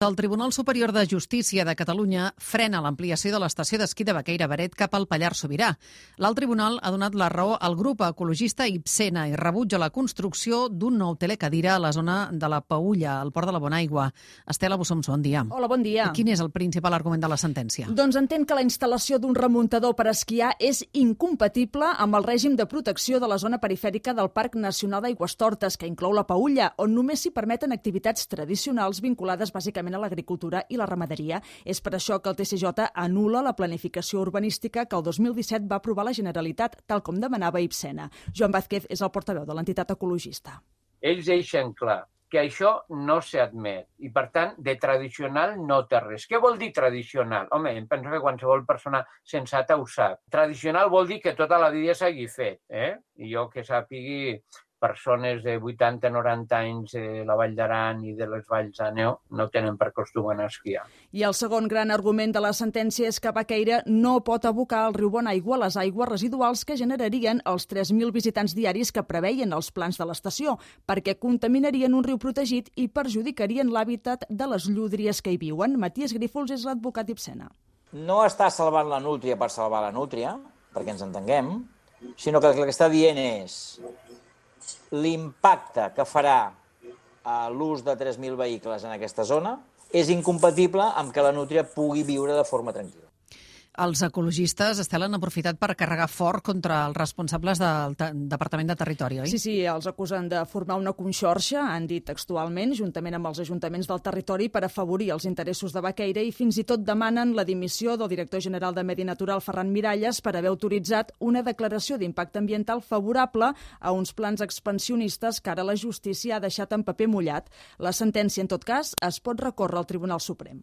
El Tribunal Superior de Justícia de Catalunya frena l'ampliació de l'estació d'esquí de Baqueira-Beret cap al Pallars Sobirà. L'alt tribunal ha donat la raó al grup ecologista Ibsena i rebutja la construcció d'un nou telecadira a la zona de la Paülla, al Port de la Bonaigua. Estela Bossomso, bon dia. Hola, bon dia. Quin és el principal argument de la sentència? Doncs entén que la instal·lació d'un remuntador per esquiar és incompatible amb el règim de protecció de la zona perifèrica del Parc Nacional d'Aigüestortes, que inclou la Paülla, on només s'hi permeten activitats tradicionals vinculades bàsicament a l'agricultura i la ramaderia. És per això que el TCJ anul·la la planificació urbanística que el 2017 va aprovar la Generalitat, tal com demanava Ibsena. Joan Vázquez és el portaveu de l'entitat ecologista. Ells deixen clar que això no s'admet i, per tant, de tradicional no té res. Què vol dir tradicional? Home, em penso que qualsevol persona sensata ho sap. Tradicional vol dir que tota la vida s'hagi fet, I jo que sàpigui, persones de 80-90 anys de la Vall d'Aran i de les Valls d'Àneu no tenen per costum anar a esquiar. I el segon gran argument de la sentència és que Baqueira no pot abocar al riu Bonaigua les aigües residuals que generarien els 3.000 visitants diaris que preveien els plans de l'estació, perquè contaminarien un riu protegit i perjudicarien l'hàbitat de les llúdries que hi viuen. Matías Grífols és l'advocat Ibsena. No està salvant la nútria per salvar la nútria, perquè ens entenguem, sinó que el que està dient és l'impacte que farà l'ús de 3.000 vehicles en aquesta zona és incompatible amb que la nútria pugui viure de forma tranquil·la. Els ecologistes, Estela, han aprofitat per carregar fort contra els responsables del Departament de Territori, oi? Sí, els acusen de formar una conxorxa, han dit textualment, juntament amb els ajuntaments del territori per afavorir els interessos de Baqueira i fins i tot demanen la dimissió del director general de Medi Natural, Ferran Miralles, per haver autoritzat una declaració d'impacte ambiental favorable a uns plans expansionistes que ara la justícia ha deixat en paper mullat. La sentència, en tot cas, es pot recórrer al Tribunal Suprem.